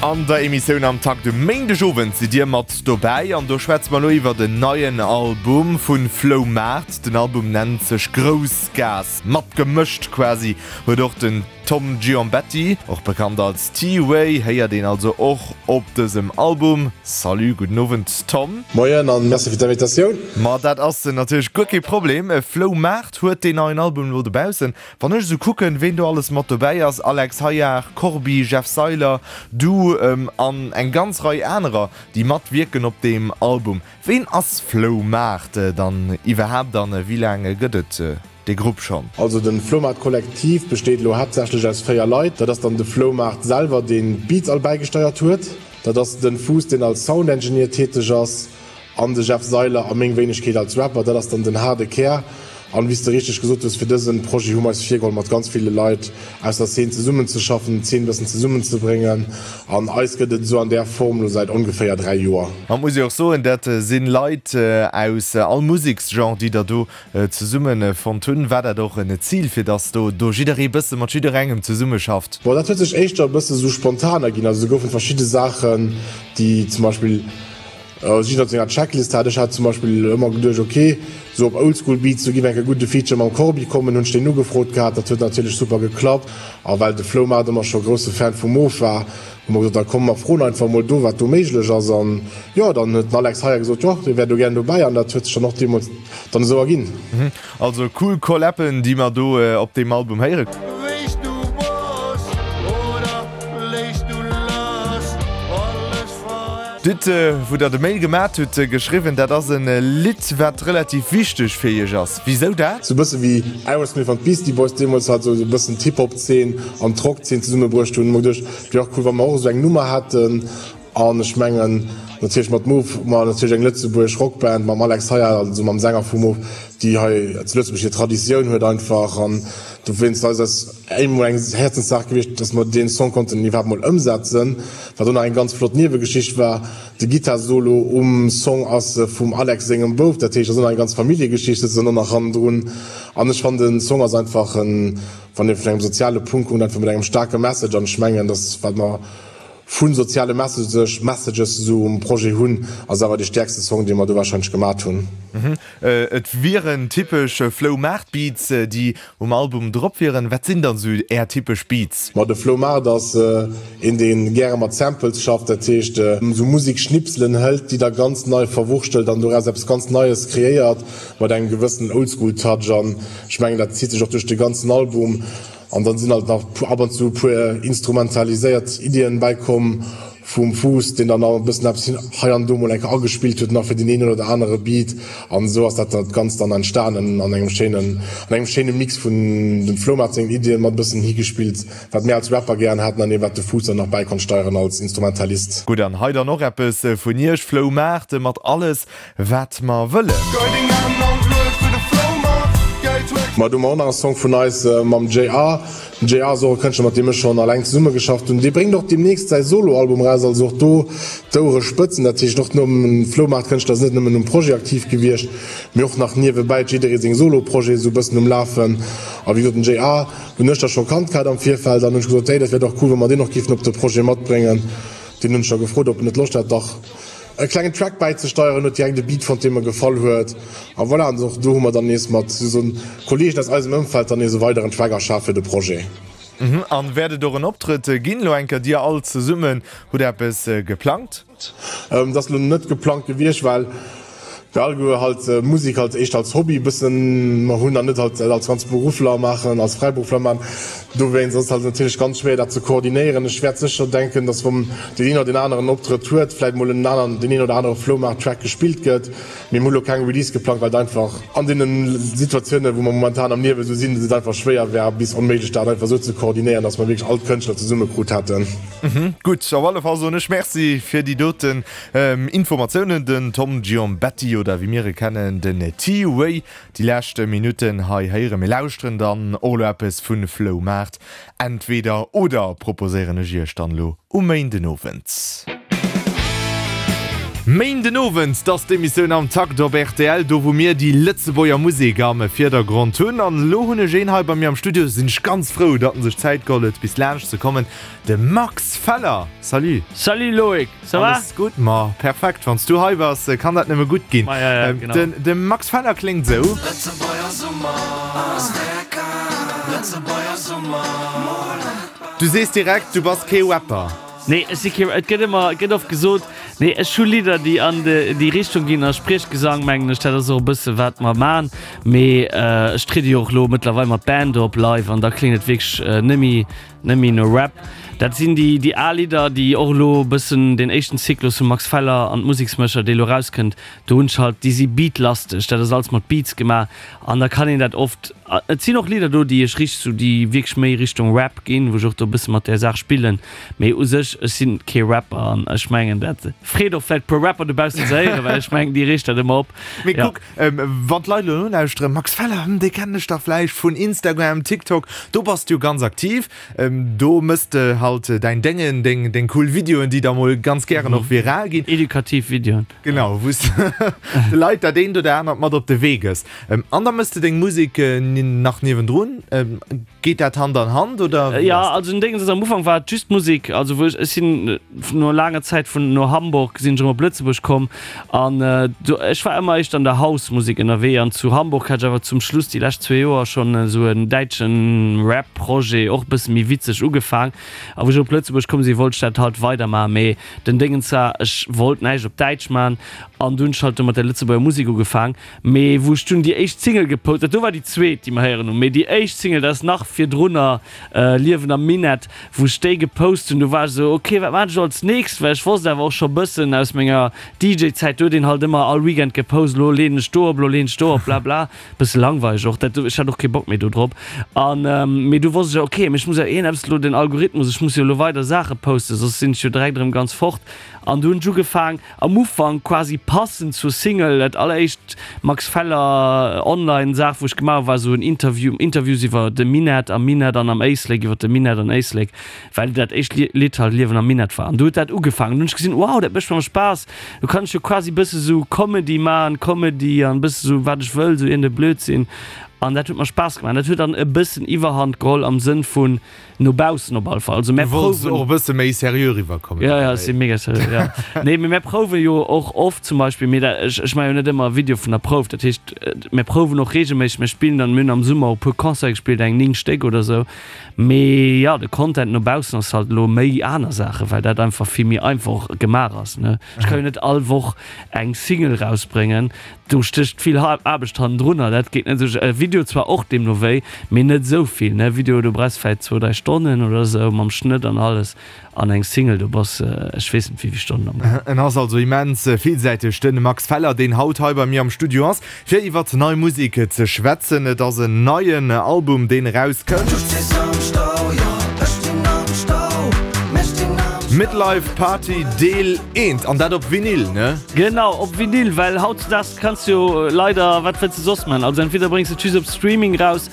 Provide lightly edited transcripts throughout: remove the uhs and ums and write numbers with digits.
An der Emissioun Am Takt um Méindegowend sidd Dir mat dobäi an do schwätze mer elo iwwert en neien Album vu Floumaart. Den Album nennt sech Groussgaass. Matgemëscht quasi huet och den Tom Giombetti, och bekannt als T-Way, héiert een also och op dësem Album. Salut, gudden Owend Tom. Moien an Merci fir d'Invitatioun. Ma dat ass natierlech guer kee Problem. Floumaart huet deen neien Album elo dobaussen. Wann ech esou kucken, ween do alles mat dobäi ass, Alex Hayar, Corbi, Jeff Seiler, du an eng ganz Rei anerer, déi matwierken op deem Album. Ween ass Floumaart dann iwwerhaapt an wéi laang gëtt et dee Grupp schonn? Also de Floumaart Kollektiv besteet elo haaptsächlech aus 4 Leit. Dat ass dann de Floumaart selwer, deen d'Beats all bäigesteiert huet. Dat ass den Fuuss, deen als Sound Engineer täteg ass. An de Jeff Seiler a meng Wéinegkeet als Rapper, dat ass dann den haarde Kär. An wéi s de richteg gesot hues, fir dësen Projet hu mer eis virgeholl, mat ganz ville Leit aus der Szene zesummenzeschaffen, d'Szene e bëssen zesummenzebréngen. An eis gëtt et esou an där Form elo säit ongeféier 3 Joer. An et muss ee och soen, dat si Leit aus all Museksgenre, déi der do zesumme fonnt hunn. War dat och en Zil, fir dass do do jidderee bësse mat jidderengem zesummeschafft? Bon, dat huet sech éischter e bësse sou spontan erginn. Also do goufen verschidde Saachen, déi zum Beispill, Jidder huet senger Checklist hat. Ech hat zum Beispill ëmmer geduecht, ok, sou op Oldschool Beats, do giff enk e gudde Feature mam Corbi kommen, hunn ech deen ugefrot gehat, dat huet natierlech super geklappt. A well de Floumaart ëmmer scho grousse Fan vu Moof war, hu mer gesot, da komm mer froen einfach mol do, wat do méiglech ass. An jo, dann huet den Alex Heyer gesot, jo, dee wär do gären dobäi an dat huet sech dann och deemools dann esou erginn. Also cool Collaben, déi mer do op deem Album héieren. D'Lidd wou der de Mail gemat hutt geschriwwen, dat ass en Lidd wat relativ wichteg fir iech ass. Wisou dat? Sou bësse wéi Aerosmith an d'Beastie Boys deemools halt sou e bëssen d'Hip-Hop-Zeen an d'Rock-Zeen zesummebruecht hunn, hu mer geduecht, et wier och cool wa mer och esou eng Nummer hätten. An ech mengen natierlech mat Moof hu mer natierlech eng lëtzebuergesch Rockband mam Alex Hayar, also mam Sänger vu Moof, déi hei zu Lëtzebuerg hir Traditioun huet einfach. An dowéinst ass eis emol eng Häerzenssaach gewiescht, dass mer deen Song konnten iwwerhaapt mol ëmsetzen. Wat och nach eng ganz flott Niewegeschicht war, de Gittarsolo um Song ass vum Alex sengem Bouf, dat heescht, ass och nach eng ganz Familljegeschicht souzesoen och nach hannendrun. An ech fannen den Song ass einfach en, wann ee vun engem soziale Punkt kuckt, einfach mat engem staarke Message. An ech mengen, dass wat mer vu soziale Messages Messages esou um Projet hunn, ass awer dee stäerkste Song, dee mer do warscheinlech gemat hunn. Et wieren typesch Flow Maart Beats, déi um Album drop wieren. Wat sinn dann esou Är typesch Beats? Ma de Flow Maart ass een, dee gäre mat Samples schafft, dat heescht esou Musekschnipselen hëlt, déi da ganz nei verwurschtelt an doraus eppes ganz Neies kreéiert, mat engem gewëssenen Oldschool-Touch. An ech mengen, dat zitt sech och duerch de ganzen Album. An dann sinn halt nach ab an zu e puer instrumentaliséiert Iddien bäikomm vum Fuuss, deen dann nach e bëssen eppes hei an do mol eng Kéier agespillt huet, nach fir deen een oder anere Beat. An esou ass dat dat Ganzt dann entstanen an engem schéinen, an engem schéine Mix vun dem Floumaart sengen Iddien mat e bëssen higespillt, wat mir als Rapper gären haten an ee wat de Fuuss dann nach bäi konnt steieren als Instrumentalist. Gutt, an hei dann och eppes vun Iech, Floumaart, mat alles Wat mer wëllen. Ma do hu mer och nach e Song vun eis mam JR. Den JR ass och e Kënschtler mat deem ech schonn alleng zesummegeschafft hunn. Dee bréngt och deemnächst säi Solo-Album eraus, also och do d'Ouere spëtzen. Dat heescht och nom Floumaart Kënschtler ass net nëmmen um Projet aktiv gewiescht, mee och nach niewebäi huet jidderee seng Solo-Projete sou e bëssen um Lafen. A wéi gesot den JR hunn ech da scho kannt gehat am Virfeld an hunn ech gesot, hey dat wär dach cool wa mer deen och géifen op de Projet matbréngen. Deen hunn ech da gefrot ob en net Loscht hätt dach e klengen Track bäizesteieren, huet direkt e Beat fonnt, dee mer gefall huet a voilà. An och do hu mer dann nees mat esou Kollegen aus eisem Ëmfeld dann nees e weideren Track erschaf fir de Projet. An wäert et och en Optrëtt ginn elo eng Kéier? Dir all zesummen hutt eppes geplangt? Dat ass elo net geplangt gewiescht, well mir alleguer halt Musek halt éischter als Hobby bëssen hunn an net halt als ganz Beruffler maachen, als Fräiberuffler maachen. Dowéinst ass et halt natierlech ganz schwéier dat ze koordinéieren. Ech wäert sécher denken, dass wann deen een oder deen aneren Optrëtt huet, vläit mol en aneren, deen een oder anere Floumaart-Track gespillt gëtt. Mee mir hu lo keng Release geplangt, well et einfach an deene Situatiounen, wou mer momentan am Liewe sou sinn, et einfach schwéier wär bis onméiglech dat einfach sou ze koordinéieren, dass mer wierklech all d'Kënschtler zesumme krut hätten. Gutt, op alle Fall soen ech Merci fir déi doten Informatiounen. Den Tom Giombetti, oder wéi mir e kennen, den T-Way, Déi lescht Minutten hei héieren. Mir lauschteren dann och elo eppes vu Floumaart. Entweder oder proposéieren ech iech dann elo um Méindenowend. Méinden Owend, 't ass d'Emissioun Am Takt op rtl, do wou mir déi Lëtzebuerger Musek am Virdergrond hunn. An elo hunn ech een hei bei mir am Studio, sinn ech ganz frou, datt en sech Zäit geholl huet bis laanscht ze kommen, de Max Feller. Salut! Salut Loïc, ça va? Alles gutt? Ma perfekt, wann s du hei bass, kann dat nëmme gutt ginn. Ma ja, ja, genau. Den, de Max Feller kléngt esou. Du sees direkt, du bass kee Rapper. Nee, ech si kee, et gëtt ëmmer, et gëtt oft gesot, nee, ech hu Lidder, déi an de, déi Richtung ginn, a Spriechgesang, mengen ech, dat ass och e bësse wat mer man, mee ech triede jo och elo mëttlerweil mat Band op live an da kléngt et wierklech net méi, net méi no Rap. Dat sinn déi, déi al Lidder, déi och elo e bëssen deen éischten Zyklus vum Max Feller an d'Museksmécher, dee elo erauskënnt, do hunn ech halt, déi si beatlasteg, dat ass alles mat Beats gemaach an da kann een dat oft, Et sinn och Lidder do, déi ech richteg sou, déi wierklech méi Richtung Rap ginn, wou ech och do e bësse mat där Saach spillen. Mee u sech, ech sinn kee Rapper an ech mengen, dat freet och vläicht e puer Rapper dobaussen ze héieren, well ech mengen, déi reegt dat ëmmer op. Mee Ja. kuck, wann d'Leit elo nolauschteren, Max Feller, hm, dee kennen ech dach vläicht vun Instagram, TikTok, do bass du jo ganz aktiv, do mëss de halt däin Déngen, deng, deng cool Videoen, déi da mol ganz gären och viral ginn. Edukativ Videoen. Genau, wou s de Leit dat eent oder anert mat op de Wee gëss. An da mëss de deng Musek nach niewendrun. Geet dat Hand an Hand oder wéi ass dat? Jo, also den Déngens ass, am Ufank war et just d'Musek. Also wou ech, ech sinn no laanger Zäit vun no Hamburg sinn ech erëm op Lëtzebuerg komm an do, ech war ëmmer éischter an der House-Musek ënnerwee an zu Hamburg hat ech awer zum Schluss déi lescht zwee Joer schonn esou en däitschen Rap-Projet, och e bësse méi witzeg ugefaang. A wou ech op Lëtzebuerg komm sinn, wollt ech dat halt weidermaachen, mee den Déngens war, ech wollt näischt op Däitsch maachen an du hunn ech halt do mat der Lëtzebuerger Musek ugefaang. Mee wou ech dunn déi éischt Single gepost, dat do war déi zweet, déi mer héieren hunn, mee déi éischt Single, dat ass nach virdrunner, Liewen am Minett, wou ech déi gepost hunn, do war ech esou, ok, wat maachen ech elo als nächst? Well ech wosst awer och scho bëssen aus menger DJ-Zäit, do huet een halt ëmmer all Weekend gepost, elo leeën ech do op, elo leeën ech do op, bla bla. Bësse langweileg och, dat, ech hat och kee Bock méi do drop. An, mee du wosst ech, ok, mee ech muss jo iergendeppes elo, den Algorithmus, ech muss jo elo weider Saache posten, soss sinn ech jo direkt erëm ganz fort. An du hunn ech ugefaang, Am Ufank quasi passend zur Single, dat alleréischt Max Feller Online Saach wou ech gemaach hu war esou en Interview, Interviews iwwer de Minett am Minett an am Éislek, iwwer de Minett an Éislek, well dat éischt Lidd halt Liewen am Minett war. An du huet dat ugefaangen, du hunn ech gesinn, wow dat mécht mer Spaass, do kann ech jo quasi bësse sou Comedy maachen, Comedy an bësse sou wat ech wëll, sou iergend e Blödsinn an dat huet mer Spaass gemaach. An dat huet dann e bëssen Iwwerhand geholl am Sënn vun No baussen op alle Fall. Also mär Du wollts prouwen. och e bësse méi seriö riwwerkommen. Ja, ja, ech si mega seriö, ja. Nee, mee mär prouwe jo och oft zum Beispill, mee dat, ech, ech maache jo net ëmmer e Video vun der Prouf. Dat heescht, mär prouwen och reegelméisseg, mär spillen dann, mir hunn am Summer och e puer Concerte gespillt, eng 9 Stéck oder sou. Mee ja, de Content no baussen ass halt elo méi aner Saachen, well dat einfach vill méi einfach och gemaach ass, ne. Ech ka jo net all Woch eng Single rausbréngen. Do stécht vill Aarbecht hannendrunner, dat geet net esou. E Video zwar och deemno wéi, mee net esou vill, ne? Video, do brauchs vläit zwou, dräi Stonnen oder esou mam Schnëtt an alles. An eng Single, do bass ech weess net wéi vill Stonnen am Gaang. En ass also immens villsäiteg, de Max Feller, deen haut hei bei mir am Studio ass, fir iwwert nei Musek ze schwätzen. Et ass en neien Album, deen erauskënnt. Midlife Party Deel 1, an dat op Vinyl, ne? Genau, op Vinyl, well hautzedaags kanns du jo leider, wat wëlls de soss man? Also entweder bréngs de et just op Streaming raus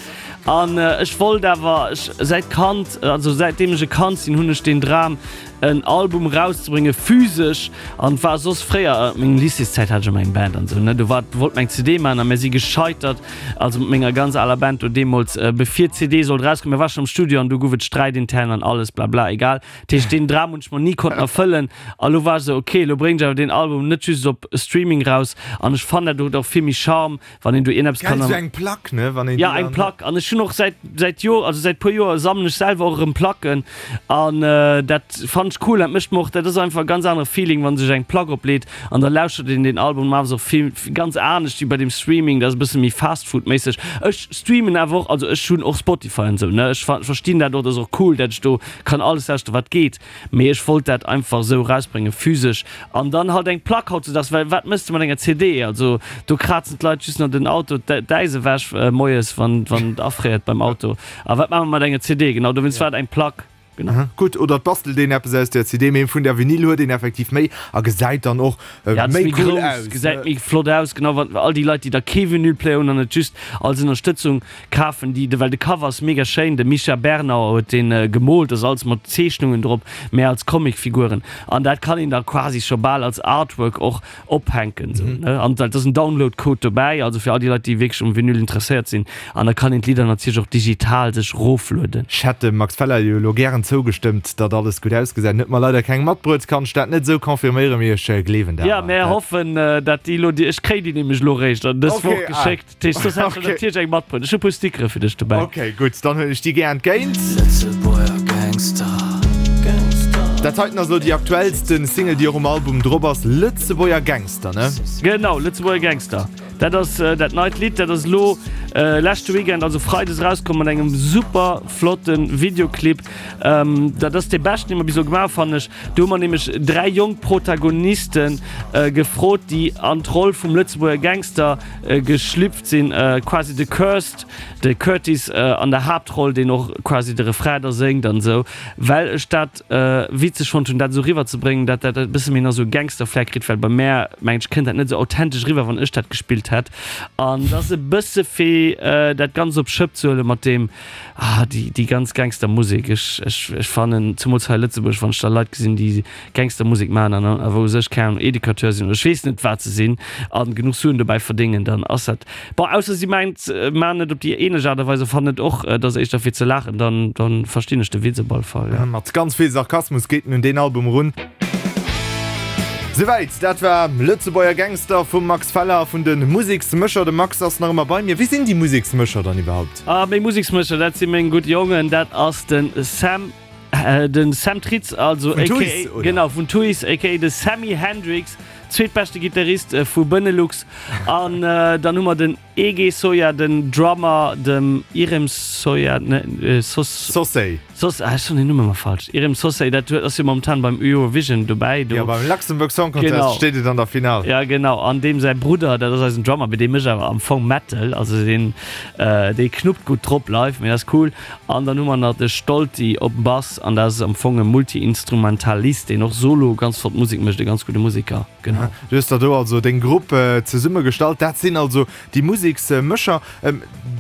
an ech wollt awer, ech säit Kand, also säitdeem ech e Kand sinn, hunn ech den Dram en Album rauszebrénge physesch an war soss fréier, a mengem Lycéeszäit hat ech ëmmer eng Band an esou ne, do war wollt mer eng CD man a mir si gescheitert, also mat menger ganz aler Band do deemools, bevir d'CD sollt rauskommen, mir war schon am Studio an du gouf et Sträit intern an alles blabla, egal. Dat heescht, deen Dram hunn ech mer ni konnten erfëllen. A lo war ech esou, ok, lo bréngen ech awer deen Album net just op Streaming raus. An ech fannen, dat huet och vill méi Charme, wann een do iergendeppes Geil, kann. esou eng Plack, ne? Wann een Ja, déi eng dann. Plack. An ech hunn och säit, säit Joer, also säit puer Joer sammelen ech selwer och erëm Placken. An dat fannen ech cool. Dat mécht mer och, dat ass einfach e ganz anere Feeling, wann sech eng Plack opleet an da lauschtert een deen Album normalerweis och vill, ganz anescht wéi bei deem Streaming. Dat ass e bësse méi Fast-Food-méisseg. Ech streamen awer och, also ech hunn och Spotify an esou, ne? Ech verstinn dat och, dat ass och cool, dat ech do Kann alles lauschteren wat geet, mee ech wollt dat einfach esou erausbréngen, physesch, an dann halt eng Plack hautzudags, well wat mëss de mat enger CD? Also do krazen d'Leit just nach den Auto d'Äis ewech moies wann wann et afréiert beim Auto, a wat maache mer mat enger CD? Genau dowéinst war et eng Plack. Genau. Gutt, oder et bastelt een eppes aus der CD, mee vun der Vinyl huet een effektiv méi a gesäit dann och Ja, méi méi cool grouss, aus. gesäit méi flott aus, genau, wann all déi Leit, déi da kee Vinylplayer hunn an et just als Ënnerstëtzung kafen, déi, well de Cover ass mega schéin, de Micha Bernauer huet dee gemoolt, ass alles mat Zeechnungen drop, mä als Comicfiguren an dat kann een da quasi scho bal als Artwork och ophänken sou ne an dat ass en Download Code dobäi, also fir all déi Leit déi wierklech um Vinyl interesséiert sinn an da kann een d'Lidder natierlech och digital sech roflueden. Ech hätt dem Max Feller jo elo gären zougestëmmt, datt alles gutt ausgesäit. En huet mer leider keng matbruet, kann ech dat net esou confirméieren, mee ech gleewen dat Jo, awer. mär hoffen dat déi elo, ech kréien déi nämlech elo réischt an dës Woch Okay, ah. geschéckt. Dat heescht, soss hätt ech der Okay. natierlech eng matbruet. Ech hu puer Stickere fir dech dobäi. Ok, gutt, dann huelen ech déi gär entgéint. Lëtzebuerger Gangster. Dat heiten ass elo déi aktuellsten Single, déi och um Album drop ass, Lëtzebuerger Gangster, ne? Genau, Lëtzebuerger Gangster. Dat ass dat neit Lidd. Dat ass elo leschte Weekend, also Freides, erauskomm mat engem super flotte Videoclip. Dat ass dee beschten, dee mer bis elo gemaach hu fannen ech. Do hu mer nämlech 3 jonk Protagoniste gefrot, déi an d'Roll vum Lëtzebuerger Gangster geschlüpft sinn. Quasi de Cursed, de Curtis an der Haaptroll, deen och quasi de Refrain da séngt an esou. Well ech dat witzeg fonnt hunn, dat esou riwwer ze bréngen, dat dat e bësse méi nach esou e Gangster-Flair kritt, well bei mär, mengen ech, kënnt dat net esou authentesch riwwer, wann ech dat gespillt hätt. An et ass e bësse fir dat Ganzt op d'Schëpp ze huelen mat deem, Ah, déi, déi ganz Gangstermusek. Ech, ech, ech fannen, zemools hei a Lëtzebuerg, wann ech da Leit gesinn, déi Gangstermusek maachen an awer u sech keng Ahnung, Educateur sinn oder ech weess net, wat se sinn, a genuch Suen dobäi verdéngen, dann ass dat, bon, ausser si mengt, maachen et op déi ähnlech Aart a Weis a fannen et och, et ass éischter fir ze laachen, dann, dann verstinn ech de Witz op alle Fall, ja. Mat ganz vill Sarkasmus geet en un deen Album erun. Souwäit, dat war Lëtzebuerger Gangster vum Max Feller a vun de Museksmécher. De Max ass nach ëmmer bei mir. Wie sinn déi Museksmécher dann iwwerhaupt? Ah, meng Museksmëscher, dat si meng gutt Jongen, dat ass de Sam, de Sam Tritz, also Vun Tuys, aka, oder? genau, vun Tuys, aka de Sammy Hendrix, zweetbeschte Gittarist vu Benelux. An dann hu mer den EG Soya, den Drummer, dem Irem Soya, ne, Sos. Sossey. Soss, ah, ech soen den Numm ëmmer falsch. Irem Sossey, dat huet, ass jo momentan beim Eurovision dobäi do. Jo, beim Luxembourg Song Contest Genau. steet et an der Finale. Ja, genau. An deem säi Brudder, dat ass eisen Drummer, mee dee mécht awer am Fong Metal. Also deen, dee knuppt gutt drop live, mee dat ass cool. An dann hu mer nach de Stolti op Bass, an dat ass am Fong e Multi-Instrumentalist, deen och solo ganz flott Musek mécht, e ganz gudde Museker. Genau. Du hues der do also deng Grupp zesummegestallt. Dat sinn also déi Museksmécher.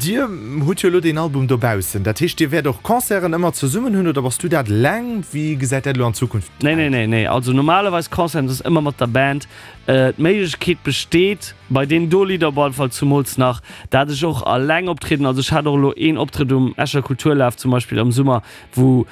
Dir hutt jo elo deen Album dobaussen. Dat heescht, Dir wäert och Concerten ëmmer zesummen hunn oder bass du dat eleng? Wéi gesäit dat elo an Zukunft aus? Nee, nee, nee, nee. Also normalerweis Concerten, dat ass ëmmer mat der Band. D'Méiglechkeet besteet bei deenen do Lidder op alle Fall zumools nach, dat ech och eleng optrieden. Also ech hat och elo een Optrëtt um Escher Kulturlaf zum Beispill am Summer, wou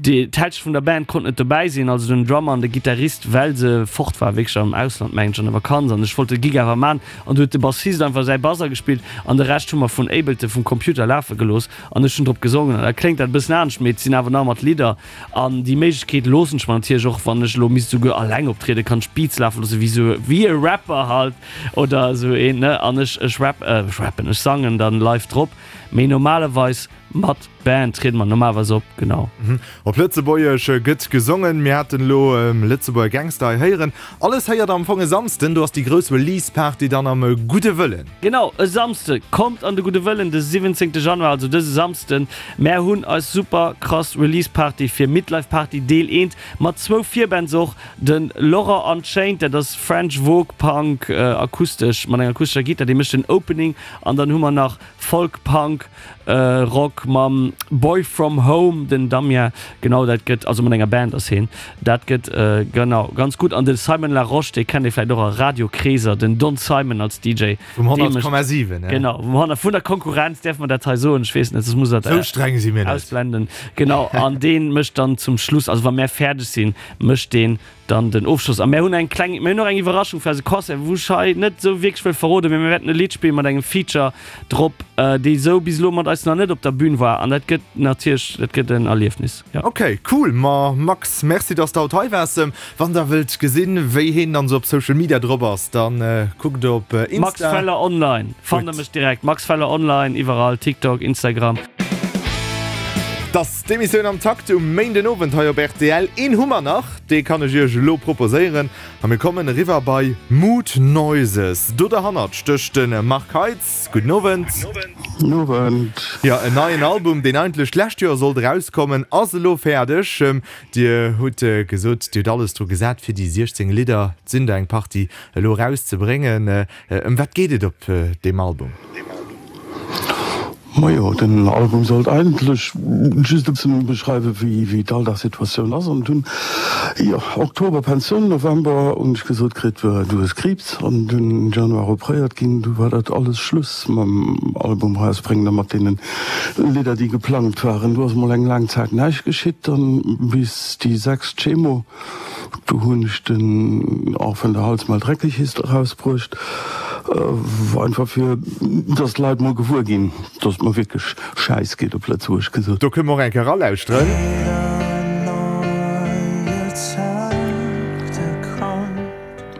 D'Hälscht vun der Band konnt net dobäi sinn, also den Drummer an de Gittarist, well se fort war, wierklech am Ausland, mengen ech, an der Vakanz, an ech wollt de Gig awer man, an du huet de Bassist einfach säi Bass agespillt an de Rescht hu mer vun Ableton vum Computer lafe gelooss an ech hunn drop gesongen an da kléngt dat e bëssen anescht, mee et sinn awer nach ëmmer d'Lidder an déi Méiglechkeet loossen ech mer natierlech och, wann ech elo misst esouguer alleng optrieden, kann ech Beats lafe loossen, wéi esou wéi e Rapper halt oder esou een, ne, an ech ech rap, ech rappen, ech sangen dann live drop, mee normalerweis mat Band triede mer normalerweis op, genau. Op Lëtzebuergesch gëtt gesongen. Mir haten elo Lëtzebuerger Gangster hei héieren. Alles héiert der am Fong e Samsden. Do ass déi grouss Release Party dann am Gudde Wëllen. Genau, e Samsde. Kommt an de Gudde Wëllen de 17 Januar, also dëse Samsden. Mär hunn eis super krass Release Party fir Midlife Party Deel 1 mat zwou Virbands och, de Laurent Unchained, dat ass French Vogue Punk akustesch mat enger akustescher Gittar, dee mécht den Opening an dann hu mer nach Folk Punk Rock mam Boy From Home, den Damien, genau dat gëtt, also mat enger Band ass heen, dat gëtt genau ganz gutt. An de Simon Larosche, dee kennt ee vläicht och a Radiokreeser, den Don Simon als DJ. Vum 100,7, ne? Genau, vum 100, vun der Konkurrenz, däerfe mer dat hei soen? Ech weess net, soss muss dat Sou streng si mir net. ausblenden. Genau, an dee mécht dann zum Schluss, also wa mär fäerdeg sinn, mécht deen Dann den Ofschloss. A mär hunn eng kleng, mär hunn och eng Iwwerraschung fir eise Concert, wou ech hei net esou wierklech wëll verroden, mee mir wäerten e Lidd spillen mat engem Feature drop, dee sou bis elo mat eis nach net op der Bühn war. An dat gëtt natierlech, dat gëtt en Erliefnis, jo. Ok, cool. Ma Max, merci dass de haut hei waars. Wann der wëllt gesinn, wéi heen dann esou op Social Media drop ass, dann kuckt op Insta. Max Feller Online, fannt der mech direkt. Max Feller Online, iwwerall, TikTok, Instagram. T'ass d'Emissioun Am Takt um Méindenowend hei op rtl. Een hu mer nach, dee kann ech iech elo proposéieren. A mir kommen eriwwer bei Mood Noises. Do derhannert stécht de Marc Heitz. Gudden Owend. Gudden Owend. Jo, en neien Album, deen eigentlech d'lescht Joer sollt erauskommen, ass elo fäerdeg. Dir hutt gesot, Dir hutt alles dru gesat, fir déi 16 Lidder, et sinn der eng Partie, elo erauszebréngen. Ëm wat geet et op deem Album? Majo, den Album sollt eigentlech just e bëssen beschreiwen, wéi d'Alldagssituatioun ass. An dunn, jo, Oktober Pensioun, November hunn ech gesot kritt, du hues Kriibs. An dunn Januar opréiert ginn. Du war dat alles Schluss mam Album erausbréngen a mat deene Lidder, déi geplangt waren. Du ass mol eng laang Zäit näischt geschitt, dann bis déi sechst Chemo. Do hunn ech den Auch wenn der Hals mal dreckig ist erausbruecht, einfach fir dass d'Leit mol gewuer ginn, dass et mer wierklech schäiss geet, op Lëtzebuergesch gesot. Do kënne mer och eng Kéier eralauschteren.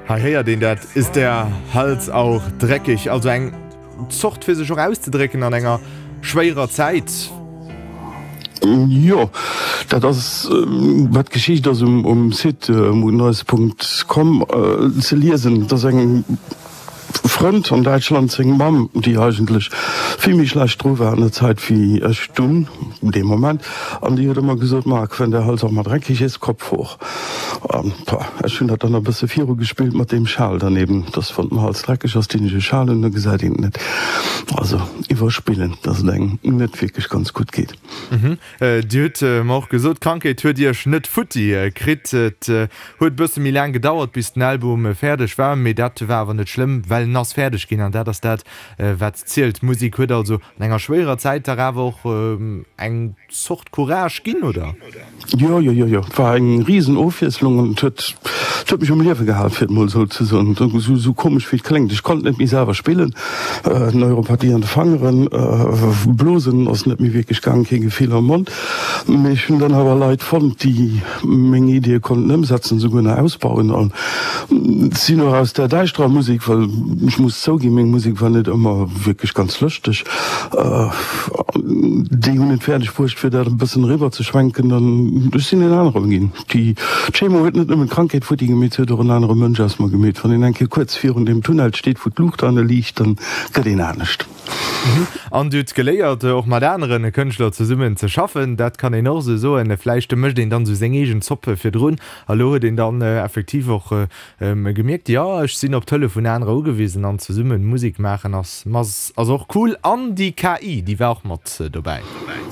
Hei héiert een dat, Ist der Hals auch dreckig? Also eng. Zort fir sech och auszedrécken an enger schwéierer Zäit. Jo, dat ass wat d'Geschicht ass um Site moodnoise.com ze liesen. Et ass engem Frënd an Däitschland seng Mamm, déi eigentlech vill méi schlecht dru war an der Zäit wéi ech dunn dee Moment, an déi huet ëmmer gesot, Marc, wenn der Hals auch mal dreckig ist, Kopf hoch. An pah, ech hunn dat dann e bësse viru gespillt mat deem Schal daneben, dass wann den Hals dreckeg ass, dinn ech e Schal un, da gesäit een et net. Also iwwerspillen, dass et engem net wierklech ganz gutt geet. Dir hutt mer och gesot, d'Krankheet huet Iech net futti kritt. Et huet e bësse méi laang gedauert, bis den Album fäerdeg war, mee dat war awer net schlëmm, well en ass fäerdeg ginn an dat ass dat, wat zielt. D'Musek huet also an enger schwéierer Zäit dach awer och eng Zort Courage ginn, oder? Jo, jo, jo, jo. Et war eng risen Ofwiesslung an et huet, et huet mech um Liewe gehal, fir et mol esou ze soen, esou komesch wéi et kléngt. Ech konnt net méi selwer spillen, Neuropathie an de Fangeren, Blosen ass net méi wierklech gaang, kee Gefill am Mond. Mee ech hunn dann awer Leit fonnt, déi meng Iddie konnten ëmsetzen, esouguer nach ausbauen. An sinn och aus där däischterer Musek, well ech muss zouginn, meng Musek war net ëmmer wierklech ganz lëschteg, Déi hunn et fäerdeg bruecht, fir dat e bëssen eriwwer ze schwenken an ech sinn en anere ginn. Déi Chemo huet net nëmmen d'Krankheet futti gemeet, se huet och en anere Mënsch aus mer gemeet. Wann een eng Kéier kuerz virun deem Tunnel steet, wou d'Luucht an e liicht, dann gëtt een anescht. An Dir hutt geléiert, och mat anere Kënschtler zesummen ze schaffen, dat kann een och esou soen. Vläicht mécht een dann esou seng eegen Zopp virdrun a lo huet een dann effektiv och Gemierkt, jo ech sinn op d'Hëllef vun anerer ugewisen an zesummen Musek maachen ass ass och cool. An déi KI déi war och mat dobäi.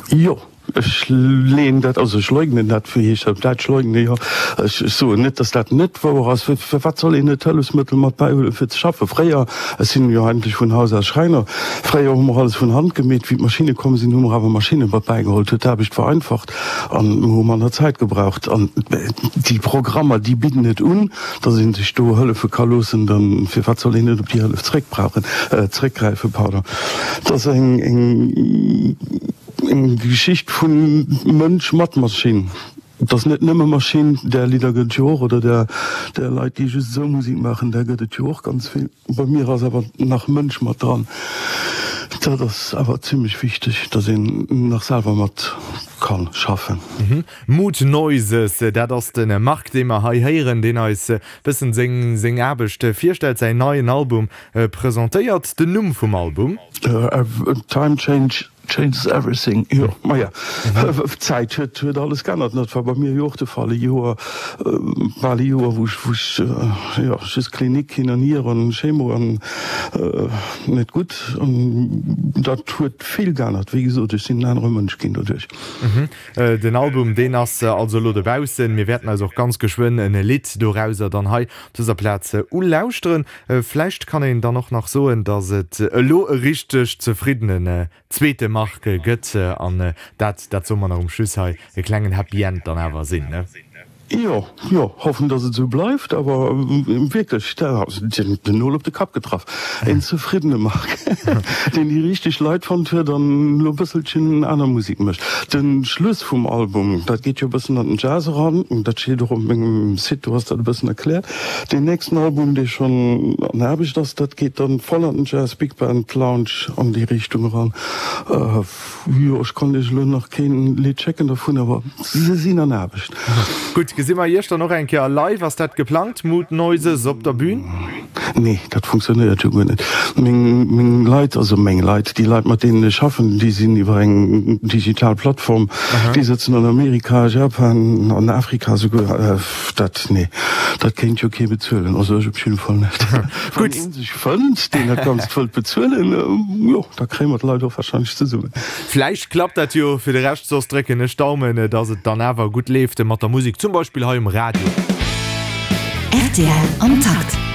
Jo, ech leen dat, also ech leugnen dat, wéi heescht dat op Däitsch, leugnen, jo, ech soen net, datt dat net wouer ass. Firwat soll een net Hëllefsmëttel mat bäihuelen fir ze schaffen? Fréier, ech sinn jo eigentlech vun Haus aus Schräiner, fréier hu mer alles vun Hand gemeet, wéi d'Maschinne komm sinn, hu mer awer Maschinne mat bäigeholl, huet d'Aarbecht vereinfacht. An mir hu manner Zäit gebraucht. An déi Programmer, déi bidden et un, datt ee sech do hëllefe ka loossen. Dann, firwat soll een net op déi Hëllef zréckbrauchen, zréckgräifen, pardon. Et ass eng, eng, eng Geschicht vu Mënsch mat Maschinn. Et ass net nëmme Maschinn, där Lidder gëtt et jo och, oder där, där Leit, déi just esou Musek maachen, där gëtt et jo och ganz vill. Bei mir ass awer nach Mënsch mat dran. Dat ass awer zimlech wichteg, dass een nach selwer mat ka schaffen. Mood Noises, dat ass de Marc, dee mer hei héieren, deen eis bëssen seng seng Aarbecht virstellt, säin neien Album presentéiert. Den Numm vum Album? Time Change Changes everything, jo, maja, d'Zäit huet huet alles geännert. Dat war bei mir jo och de Fall, e Joer, bal e Joer, wou ech, wou ech, jo, just Klinik hin an hier an Chemo an net gutt. An dat huet vill geännert. Wéi gesot, ech sinn en anere Mënsch ginn doduerch. Den Album, deen ass also elo dobaussen. Mir wäerten eis och ganz geschwënn e Lidd dorauser dann hei op dëser Plaz ulauschteren. Vläicht kann een dann och nach soen, datt et elo e richteg zefriddenen zweete Marc gëtt. An dat, dat soe mer nach um Schluss hei, e klengen Happy End dann awer sinn, ne? Jo, jo, hoffen dass et esou bleift, awer wierklech, dat ass den Nol op de Kapp getraff. Een zefriddene Marc, deen déi richteg Leit fonnt huet an elo e bësselchen aner Musek mécht. De Schluss vum Album, dat geet jo e bëssen an den Jazz eran, dat steet och op mengem Site, do ass dat e bëssen erkläert. Deen nächsten Album, dee schonn an Aarbecht ass, dat geet dann voll an den Jazz, Big Band, Lounge, an déi Richtung eran. Jo, ech konnt iech elo nach keen Lidd schécken dervun, awer se sinn an Aarbecht. Gutt, gesi mer iech dann och eng Kéier live? Ass dat geplangt, Mood Noises op der Bühn? Nee, dat funktionéiert jo guer net. Meng, meng Leit, also meng Leit, déi Leit mat deenen ech schaffen, déi sinn iwwer eng digital Plattform, déi sëtzen an Amerika, Japan, an Afrika souguer. Dat, nee, dat kéint jo kee bezuelen, also ech op jidde Fall net. Wann een sech fënnt, deen dat Ganzt wëllt bezuelen, jo, da kréie mer d'Leit och warscheinlech zesummen. Vläicht klappt dat jo. Fir de Rescht soss drécken ech d'Daumen, dass et dann awer gutt leeft mat der Musek, zum Beispill hei um Radio. Rtl am Takt.